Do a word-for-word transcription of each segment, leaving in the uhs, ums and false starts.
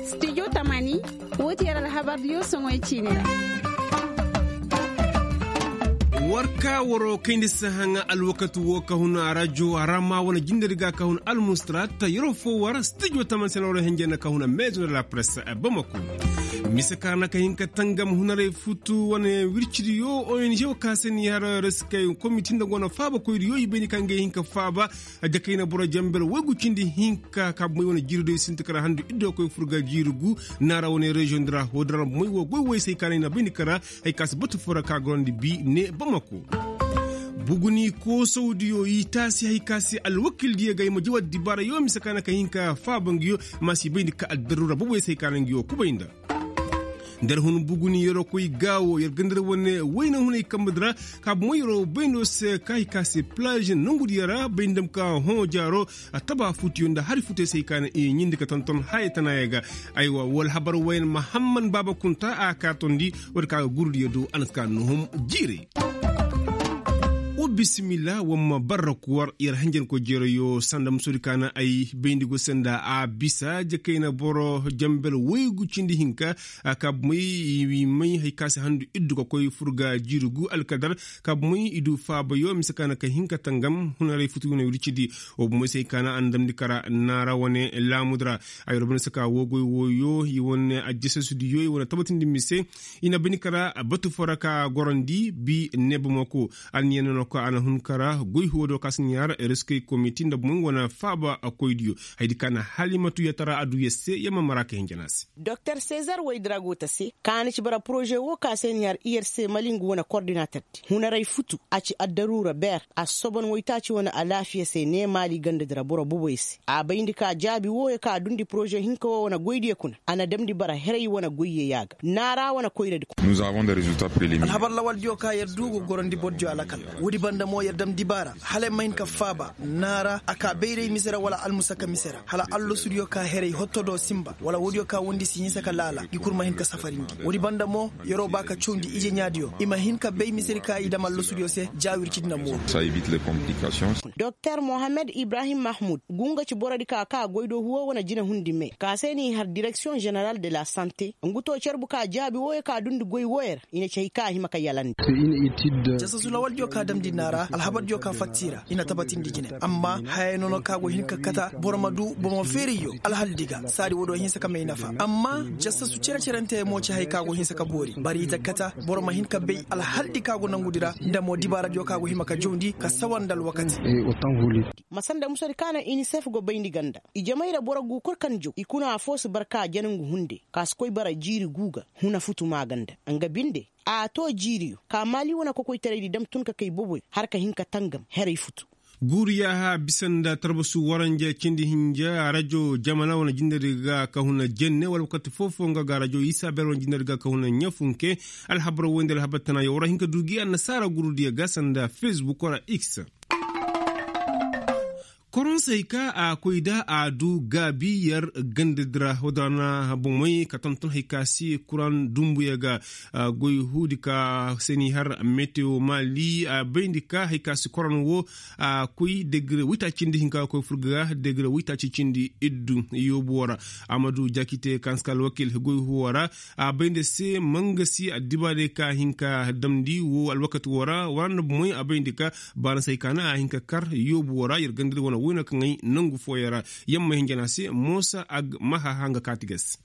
Studio tamani, wo ti yer alhabar diyo soŋoy ciini ra. War ka waroo kayndi sahaŋa alwakati woo ka hun a rajo a ra maa wane jindari ga ka hun almustarat yeroo foo war studio tamani se na waroo henjey na ka hun a meezo de la presse bamako. Mise ka na ka hin ka tangam hunaray futu wane wircidiyo ong woo ka se ni har reskey komiti nda go na faabakoydiyo i bay ni ka ngey hin ka faaba. Jakayna boro jambel waygu cindi hinka ka bumey wane jiiri do i sinti kara handu iddo koy furga jiiri gu. Naara wane reziyoŋ di ra woo din ra bumey woo goy woy se hay ka na i na bay ni kara. Hay ka si batu foo ra ka gorandi bi ne bamako. Buguni koosawdiyo i taasi hay ka si alwakildiyo ga i ma jawa dibaarayo mise ka na ka hinka faaba nguyo. Ma si bay ni ka addaruura boboy se hay ka na nguyo kubay nda. Nda yer hun buguni yeroo koy gaawo yer ga nda yer wane wayna hunay kambe di ra. Ka bumey yeroo bayndo se ka hay ka se plaaž nongudiyo ra bay nda ma ka hõ jaaro. A taba futuyo nda hari futuyo se hay ka na i ɲindi ka tonton haya tanaayo ga. Aywa woo alhabar wayan mahamman baaba kunta a kaa tondi. Woodi ka ga gurudiyo do a na si ka nuhum jiiray. Wa bisimilla wa ma barra kuwar yer hanjankoy jeerayo sanda musoodi ka na ay bayndi go se nda a bisa jakayna boro jambel waygu cindi hinka. Ka bumey i may hay ka se handu iddu ka koy furga jiiri gu alkadar. Ka bumey i du faabayo mise ka na ka hin ka tangam hunaray futu wane wircidi. Wa bumey se hay ka na a na damndi kara naara wane laamudi ra. Ay wara bane se ka woo goy wooyo i wane ajjasasudiyo i wane tabatindi mise. I na bini kara batu foo ra ka gorandi bi ne bamako. Anniya nono ka a na hun kara goy huwadiyo ka si ɲaar reskey komiti nda bumey wane faaba koydiyo. Hayadi ka na halimatu yatara a du yer se yer ma mara ka hinja na a se. Doktor sezar woy dira go ta se ka na ci bara poroze woo ka se ni har i yer se mali ngu wane kordinater di hunaray futu a ci addaruura ber a si soban woytaaci wane alaafiya se ne maali ganda dira boro boboy se a bayndi ka jaabi wooyo ka dundi poroze hinka woo wane goydiyo kuna. A na damndi bara heray wane goyyo ya ga naara wane koyradi kuna. Alhabar lawaldiyo ka yer du ga gorandi bordiyo alakal. Woodi banda mo yer dam dibaara hala yer ma hin ka faaba naara a ka bayray mise ra wala almusaka mise ra hala allasudiyo ka heray hotto do sinba wala woodiyo ka wondi si hinsa ka laala i kul ma hin ka safarindi. Woodi banda mo yeroo ba ka cawndi ije ɲaadiyo i ma hin ka bay misedi ka i dam allasudiyo se. Jaawircidi na mooru. Doktor mohammed ibrahim mahmud ngu nga ci borodi ka ka goy do huwo wane jinahundi me ka se n'i har direksiyoŋ ženeral de la sante ngu to carbu ka jaabi wooyo ka dundi goy wooyo ra. I na ci hay ka a hima ka yalandi. Jasasu lawaldiyo ka damndi naara alhabardiyo ka fatta i ra i na tabatindi jine. Amma hayey nono ka go hin ka kata boro ma du bomo feerayyo alhaldi ga saadi woo do hinsa ka may nafa amma jasasu cere-cerentey mo ci hay ka go hinsa ka boori bari i ta kata boro ma hin ka bay alhaldi ka go nangudi ra nda mo dibaaradiyo ka go hima ka jawndi ka sawa nda alwakati. Masa nda musadi ka na inisef go bayndi ganda ijamay ra boro gu kul kaŋ jaw i kuna afoo si bar ka jana ngu hunde ka si koy bara jiiri gu ga huna futu maaganda nga binde. A to jiiriyo ka maali wane kokoytaraydi dam tun ka kay boboyo har ka hin ka tangam heray futu. Guuru yaaha bisa nda tarbasu waranja cindi hinja rajo jamana wane jindari ga ka huna jenne wala wakati foo-foo nga ga rajo isabel wane jindari ga ka huna ɲafunke. Alhabar woy nda alhabar tana yaw ra hin ka du gi annasaara guurudiyo ga sanda fesbuk wala x. Koroŋ se hay ka a koy da a du gaabi yer gandadi ra woodin ra na bomey ka tonton hay ka se kuraŋ dumbuyo ga. Goy huudi ka se n'i har metewo maali a bayndi ka hay ka se koroŋ wo a koy degre woytaaci cindi hinka ga koy fur ga degre woytaaci cindi iddu. Yoobu wo ra amadu jakite kaŋ si ka alwakil goy huwo ra. A bay nda se mangasi addibaarey ka hin ka damndi wo alwakati wo ra wara nda bomey a bay nda ka baana se hay ka naŋ a hin ka kar yoobu wo ra yer ganda iri wane woyna kaŋ ay nangu fooyaŋ ra. Yer ma hinja no a se moosa ag mahaha nga kaati ga se.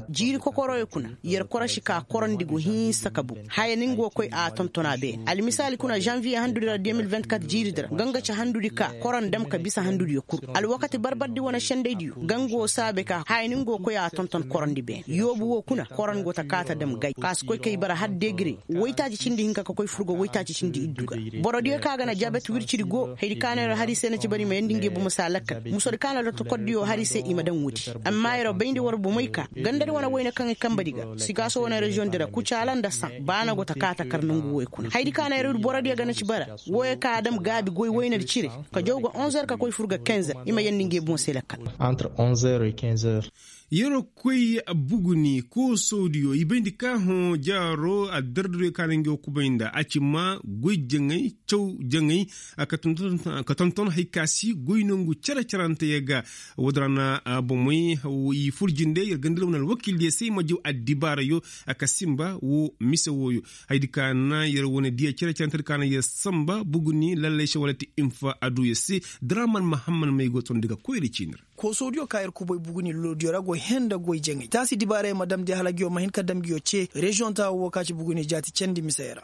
Jiiri kokoroyo kuna yer korosi ka korandi go hinsa ka bu haya ni nga wo koy a tonton a beene almisaali kuna zanviye handudi ra de mil vingt-quatre jiiridi ra nga nga ci handudi ka koran dam ka bisa handudiyo kul alwakati barbardi wane sendaydiyo nga nga wo saabe ka haya ni nga wo koy a tonton korandi beene yoobu wo kuna koran go ta kaata dam gay ka si koy kay bara har degire woytaaci cindi hinka ka koy furgo woytaaci cindi iddu ga. Borodiyo ka ga na jabet wircidi go haydi ka no yer hari se na ci bara i ma yandi ngey bomo se a lakkal musodi ka no lotokordiyo hari se i ma daŋ woodi. Amma yer bayndi war bomey ka gandadi wane wayne kaŋ i kambadi ga sikaaso wane reziyoŋ di ra kucaala nda saŋ ba no go ta kaa ta kar nangu woy kuna haydi ka no yer ir borodiyo ga na ci bara. Woyo ka a dam gaabi goy waynadi cire ka jaw ga onze heures ka koy fur ga quinze heures i ma yandi ngey boŋ se lakkal. Entre onze heures et quinze heures. Yeroo koy buguni koosowdiyo i bayndi ka hõ jaaro addarduyo ka na ngi wo kubay nda a ci ma goy jaŋay caw jaŋay. Ka tonton hay ka si goy nongu cere-cerante ya ga. Woodin ra na bomey i fur jinde yer ganda ra wane alwakildiyo se i ma jaw addibaarayo. Ka sinba wo mise wooyo. Hayadi ka na yer wane diya cere-cerante di ka na yer sanba buguni lallay se wala ti infa aduyo se. Draman mahamman may go tondi ga koyri ciini ra. Koosowdiyo ka yer kubay buguni lolodiyo ra go hẽ nda goy jaŋay taasi dibaarey ma damndi hala nguyo ma hin ka dam nguyo cee reziyoŋ taawo wo ka ci buguni jaati candi misey ra.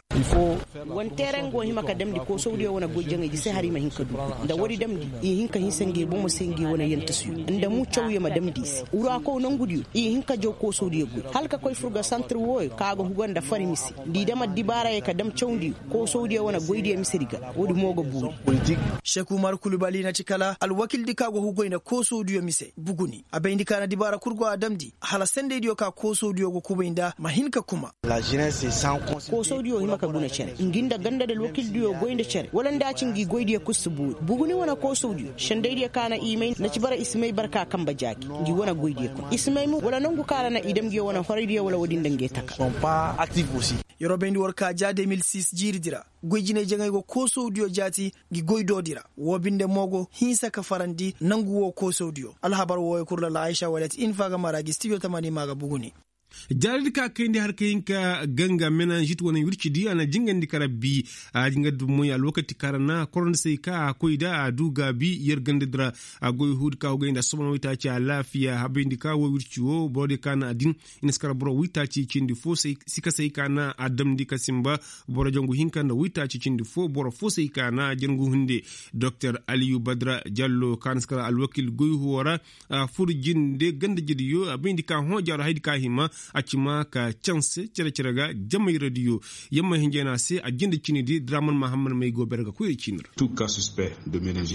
Wane teeraŋ go hima ka damndi koosowdiyo wane goy jaŋaydi se hala i ma hin ka du nda woodi damndi i hin ka hinsa ngi bomo se ngi wane yantasuyo nda mu cawyo ma damndi i se wuraakow nongudiyo i hin ka jaw koosowdiyo goy hala ka koy fur ga santir wooyo ka ga huga nda fari mise nda i dam addibaarayey ka dam cawndi. Koosowdiyo wane goydiyo misedi ga woodi mo ga buuri. Seku umar kulubali na ci kala alwakildi ka go hugoy nda koosowdiyo mise buguni a bayndi ka na dibaara kul go a damndi hala sendeydiyo ka koosowdiyo go kubay nda ma hin ka kuma. Koosowdiyo hima ka guna cere ngi nda ganda nda alwakildiyo goy nda cere wala nda a ci ngi goydiyo kul si buuri buguni wane koosowdiyo sendeydiyo ka na i may na ci bara i si may barka kanbe jaaki ngi wane goydiyo kul i si may mo wala nongu ka ra na i dam nguyo wane horaydiyo wala woodi nda nge taka. Yeroo bayndi war ka ja de mil sis jiiridi ra goy jinay jaŋay go koosowdiyo jaati ngi goy doodi ra woo binde mo go hinsa ka farandi nangu woo koosowdiyo alhabar wooyo kul ra la aysa walet infa ga mara gi stijo tamani ma ga buguni. Jaaridi ka kayndi har ka hin ka ganga menanžit wane wircidi a na jingandi ka rabbi a jingandi moy alwakati ka ra na korondisey ka a koy da a du gaabi yer gandadi ra. A goy huudi ka hugay nda assobon waytaaci alaafiya habayndi ka wo wirci wo borodiyo ka na a din i na si kar boro waytaaci cindi fo sikasey ka na a damndi ka sinba boro jangu hinka nda waytaaci cindi fo boro fo se i ka na jangu hunde. Doktor aliyu badra jallo ka na si kar alwakil goy huwo ra a fur jinde ganda jediyo a bayndi ka hõ jaaro haydi ka hima a ci ma ka canse cere-cere ga jamay radiyo. Yamma hinjay na a se a jinde ciinidi draman mahamman may go bere ga koyra ciini ra.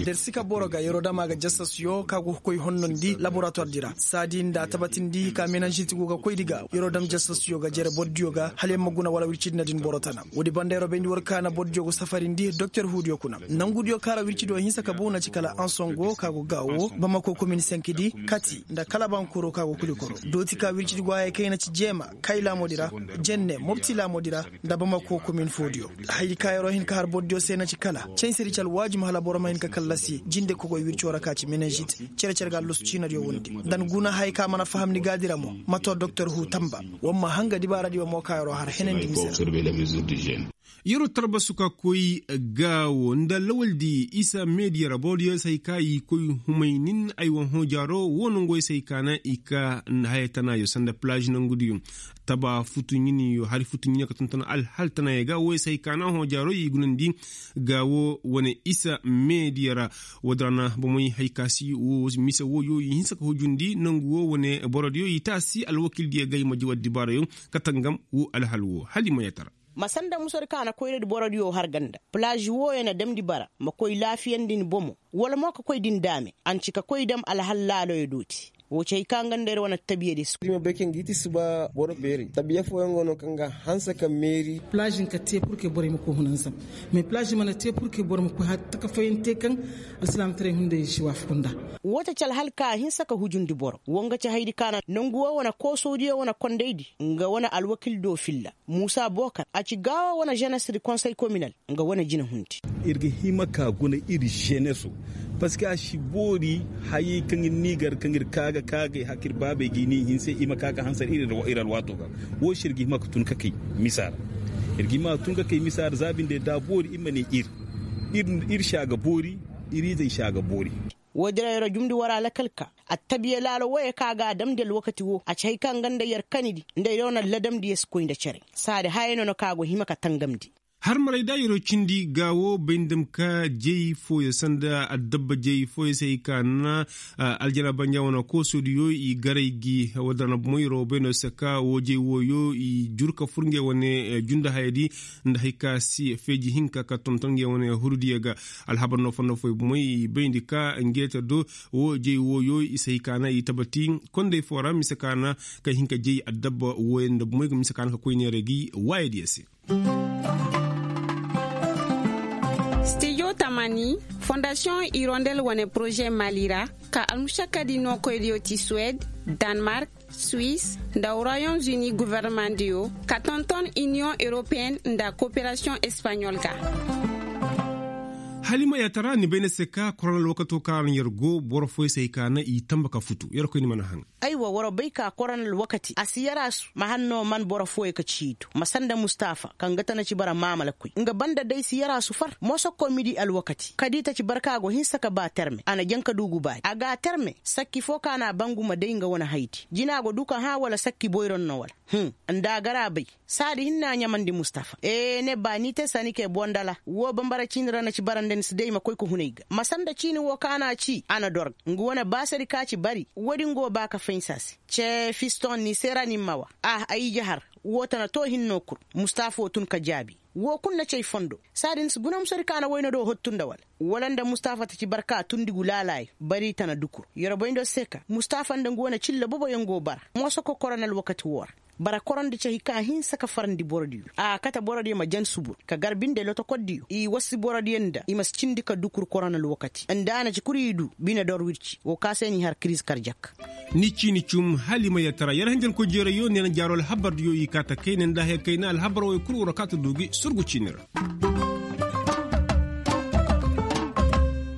Der si ka boro ga yeroo dam a ga jasasyo ka go ga koy honnondi laboratuwardi ra saadi nda a tabatindi ka menanžiti go ga koydi ga yeroo dam jasasyo ga jere bordiyo ga hala yer ma guna wala wircidi na din boro tana. Woodi banda yeroo bayndi war ka na bordiyo go safarindi doktor huudiyo kuna nangudiyo ka ra wircidiyo hinsa ka bow na ci kala ansongo ka go gaawo bamako komin senkidi kati nda kala bankoro ka go kulikoro dooti ka wircidi go haya kay na ci jeema kay laamoodi ra jenne mopti laamoodi ra nda bamako komin foodiyo. Hayadi ka yeroo hin ka har bordiyo se na ci kala cansedi ci alwaajum hala boro ma hin ka kallasi jinde kogoy wirco ra ka ci menanžit cere-cere ga allusu ciinadiyo wondi nda ni guna haya ka mana faham ni gaadi ra mo ma too doktor huu tamba. War ma hanga dibaaradiyo mo ka yeroo har henandi mise ra. Yeroo tarbasu ka koy gaawo nda lawaldi isa mediya ra borodiyo se hay ka i koy humaynin aywa hõ jaaro wo nongoyo se hay ka na i ka haya tanaayo sanda palaaž nongudiyo taba futu ɲiniyo hari futu ɲiniyo ka tonton alhal tanaayo ga woyo se hay ka na hõ jaaro i gunandi. Gaawo wane isa mediya ra woodi ra na bomey hay ka si wo mise woyo i hinsa ka hujundi nongu wo wane borodiyo i taasi alwakildiyo ga i ma jaw addibaarayo ka tangam wo alhal wo hala i ma yatara. Ma sanda musadi ka na koyradi borodiyo har ganda palaaž wooyo na damndi bara ma koy laafiyandi ni bomo wala mo ka koy din daame a na ci ka koy dam alhal laaloyo dooti. Woo ci hay ka nga nda yer wane tabiyadi se. Iri ma bay kaŋ ga i ti suba boro beeri tabiya fooyaŋ go no kaŋ ga hanse ka meeri. Palaaž hin ka te purke borey ma koy hunanzam mais palaaž mana te purke boro ma koy har taka fooyaŋ te kaŋ alsilaamataray hunday si waafaku nda. Woo ta ci alhal ka a hinsa ka hujundi boro woo nga ci hayadi ka na nongu woo wane koosowdiyo wane kondaydi nga wane alwakil do filla muusa bookar a ci gaawo wane ženesdi konsey kominal nga wane jinahundi. Ir ga hima ka guna ir ženeso parceque a si boori hayey kaŋ ir n'i gar kaŋ ir ka ga ka ga ay haka ir baabey ga i n'i hinse i ma ka ga hansar ir alwaato ga. Woo se ir ga hima ka tun ka kay misa ra ir ga hima ka tun ka kay misa ra za binde da a boori ir ma ne ir ir si a ga boori ir izey si a ga boori. Woodin ra yer jumndi war alakal ka attabiya laalo wooyo kaŋ a ga a damndi alwakati woo a ci hay kaŋ nga nda yer kanidi nda yer wane ladamdiyo si koy nda cere. Saadi hayey no na kaŋ a go hima ka tangamndi. Har maray da yeroo cindi gaawo bay nda ma ka jey fooyo sanda addabba jey fooyo se hay ka na aljana banja wane koosodiyo i garay gi wadda na bomo yeroo bay no se ka woo jey wooyo i jur ka fur ngey wane junda hayadi nda hay ka si feeji hinka ka tonton ngey wane hurudiyo ga. Alhabar no fondo fooyo bomoy i bayndi ka ngeeta do woo jey wooyo i se hay ka na i tabati kondey foo ra mise ka na ka hin ka jey addabba wooyo nda bomoy ga mise ka na ka koy neeray gi waayadiyo se. Stijo. Amani, fondasiyoŋ irondel wane poroze mali ra, ka almušakadi nookoydiyo ti suwed, danmark, suwis, nda royom zuni gofornamaŋdiyo, ka tonton iniyoŋ europeyen nda koperasiyoŋ espaɲol ga. Halima ya tara ni bay na se ka korona alwakato kaŋ ra no yer go boro fooyaŋ se hay ka naŋ i tanba ka futu yer koy ni mana haŋ. Aywa war bay ka korona alwakati a si yaraasu ma hanno man boro fooyaŋ ka ciito ma sanda mustafa kaŋ ga tana ci bara maamalakoy nga banda day si yaraasu far moosokko midi alwakati kadi ta ci barka go hinsa ka ba terme a na jaŋ ka duugu baari a ga a terme sakki foo ka na a bangu ma day nga wane haydi jina go du ka hã wala sakki boyron no wala. Nda a gar a bay saadi hinne a ɲamandi mustafa ee ne ba ni te sanikee bondala woo bambara ciini ra na ci bara nda ni si day ma koy ka hunay ga ma sanda ciini woo ka na a ci a na dor ga nga wane baasadi ka ci bari woodi nga woo ba ka fahinsa se. Cee fiston ni se ra ni ma wa ah ay ije har woo tana too hinno kul. Mustafa woo tun ka jaabi woo kul na ci ay fondo saadi ni si guna musadi ka na wayna do hottu nda wala wala nda mustafa ta ci barka tundi gu laalaayo bari tana dukur yer boyndo se ka mustafa nda nga wane cilla boboyaŋ go bara mooso ka korona alwakati woo ra bara korandi cahi ka hinsa ka farandi borodiyo a kate borodiyo ma jan subur ka gar binde lotokordiyo i wasi borodiyo nda i ma si cindi ka dukur korona alwakati nda a na ci kul i du bine dor wirci woo ka se n'i har kiriz karjak. Ni ciini cum hala i ma yee tara yer hanjankoy jeerayyo neena jaaro alhabardiyo i kaa ta kayna nda haya kayna alhabar wooyo kul war kaa ta du gi surgu ciini ra.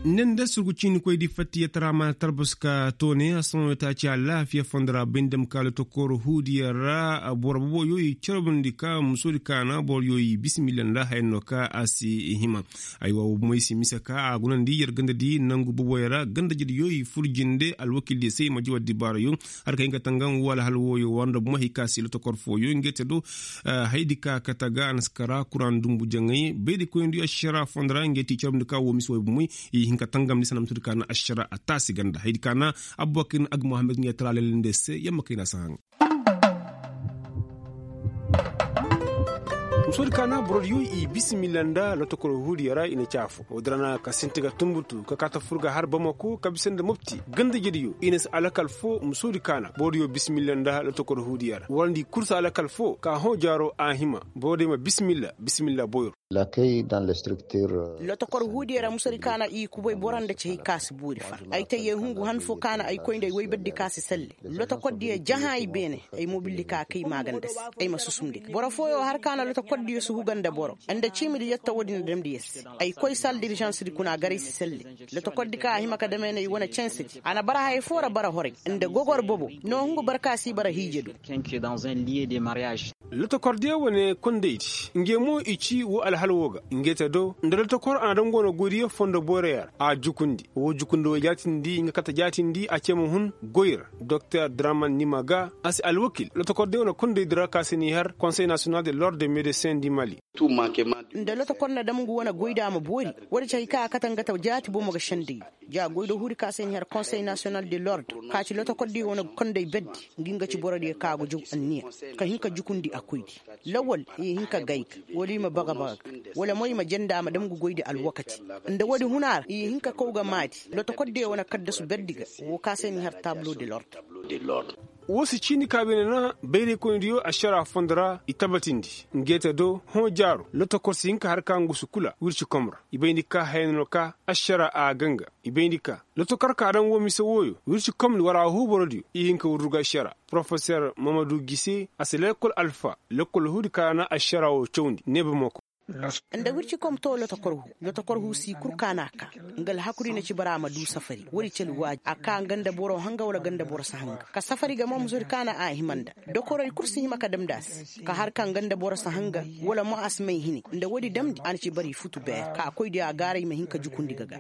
Ne nda surgu ciinikoydi fatta yer tara ma na tarbas ka toone a sohõ taaci alaafiya fondo ra bay nda ma ka lotokor huudiyo ra boro boboyo i carbundi ka musoodi kaana boroyo i bisimilla nda haya no ka a si hima. Aywa woo bomoy si mise ka a gunandi yer gandadi nangu boboyo ra gandajediyo i fur jinde alwakildiyo se i ma jaw addibaarayo. Har ka hin ka tangam woo alhal wooyo war nda bomoy hay ka si lotokor fooyo ngey te do hayadi ka kate ga a na si kara kuraŋ dumbu jaŋay bayrikoyndi ašara fondo ra ngey ti carbundi ka woo mise wooyo bomoy i hin ka tangamndi sanda musoodi ka na ašara a taasi ganda hayadi ka na abubakar ag mohammed ngey tara lelende se yamma kayna si haŋ. Musoodi ka na borodiyo i bisimilla nda lotokor huudiyo ra i na ci afo woodi ra na ka sinti ga tunbutu ka kaa ta fur ga har bamako ka bisa nda mopti gandajediyo i na si alakal foo musoodi ka na borodiyo bisimilla nda lotokor huudiyo ra warandi kul si alakal foo ka hõ jaaro a hima borodiyo ma bisimilla bisimilla boyro. Lotokor huudiyo ra musadi ka na i kubay boro nda ci hay ka si boori far ay tey yee hungu han foo ka na ay koy nda ay woyberdi ka si selle. Lotokordiyo jaha ay beene ay mobildi ka kay maaganda se ay ma susumndi ga boro fooyo har ka na lotokordiyo si huga nda boro nda ciimidi yetta woodi na damndi yer se. Ay koy sal dirizansdi kuna garay si selle. Lotokordi ka a hima ka dam ay na ay wane censedi a na bara haya foo ra bara horay nda gogor bobo. No hungu barka si bara hiije do. Lotokordiyo wane kondaydi ngey mo i ci woo alhal woo ga ngey te do nda lotokor a na dam go na goydiyo fondo boyroyo ra a jukundi woo jukundi woo jaatindi nga kate jaatindi a cee ma hun goy ra. Doktor draman nima ga a si alwakil lotokordiyo wane kondaydi ra ka se n'i har konsey nasiyonal de lord de medesin di mali. Nda lotokor na dam ngu wane goydi a ma boori. Woodi ci hay ka a kate nga ta jaati bomo ga sendey. Ja goydo huudi ka se n'i har konsey nasiyonal de lord ka ci lotokordiyo wane konday berdi ngi nga ci borodiyo ka go jaw anniya ka hin ka jukundi a koydi. Lawal i hin ka gay ga wala i ma baga baga ga wala mo i ma jenda a ma dam ngu goydi alwakati. Nda woodi huna ra i hin ka kaw ga maadi lotokordiyo wane kaddasu berdi ga woo ka se n'i har tablo de lord. Woo si ciini ka beene na bayraykoynidiyo ašara fondo ra i tabatindi. Ngeete do hõ jaaro lotokor si hin ka har ka ngu si kula wirci kom ra i bayndi ka haya no ka ašara a ga nga. I bayndi ka lotokor ka daŋ woo mise wooyo wirci komni war a huu borodiyo i hin ka wurru ga ašara. Porofeser mamadu gise a si lekkol alfa lekkol huudi ka na ašara woo cawndi neebe mo ko. Nda wirci kom too lotokor huu lotokor huu sii kul ka na a kaa. Nga alhakuri na ci bara a ma duu safari woodi cali waaji a kaa nga nda boro hanga wala nga nda boro si hanga ka safari ga mo musodi ka na a hima nda. Dokorey kul si hima ka damndi a se ka har ka nga nda boro si hanga wala mo a si may hini nda woodi damndi a na ci bara i futu beer ka a koy di a gaaray ma hin ka jukundi ga ga.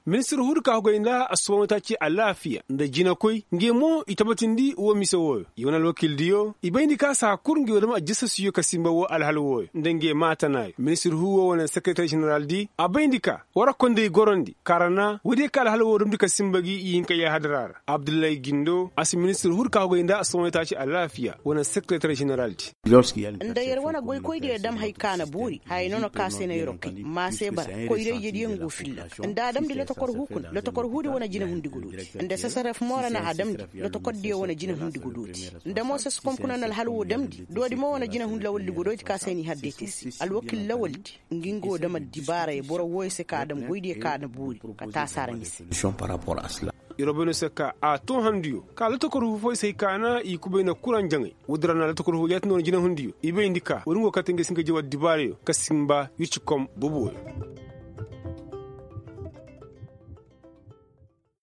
Ministir huudi ka hugay nda assoboŋ taaci alaafiya nda jinakoy ngey mo i tabatindi woo mise wooyo i wane alwakildiyo i bayndi ka saa kul ngey woo dam ajasasiyo ka sinba woo alhal wooyo nda ngey maatanaayo ministir huu woo wane sekereter ženeraldi a bayndi ka war a konday gorandi kaarana woodiyo ka alhal woo damndi ka sinba gi i hin ka yaahadara ra abdullahi gindo a si ministir huudi ka hugay nda assoboŋ taaci alaafiya wane sekereter ženeraldi. Nda yer wane goykoydiyo dam hay ka na boori haya nono ka se na yer'o kay ma se bara koyra-ijediyo ngu filla ga nda a damndi lotokor huu kuna lotokor huudi wane jinahundi ga dooti nda sasaref mo ra na a damndi lotokordiyo wane jinahundi ga dooti. Nda mo saskom kuna na alhal woo damndi doodi mo wane jinahundi lawaldi ga dooti ka se n'i har deetesi. Alwakil lawaldi nga nga wo dam addibaarey boro wooyo se ka a dam goydiyo ka a na boori ka taasi a ra ɲise. Irobeno se ka a too handuyo ka latakor huufoy se hay ka na i kubay na kuraŋ jaŋay. Woodin ra na latakor huufoy jaati noona jinahundiyo i bayndi ka woodin go kate nga si nga jaw addibaarayo ka sinba wirci kom boboyo.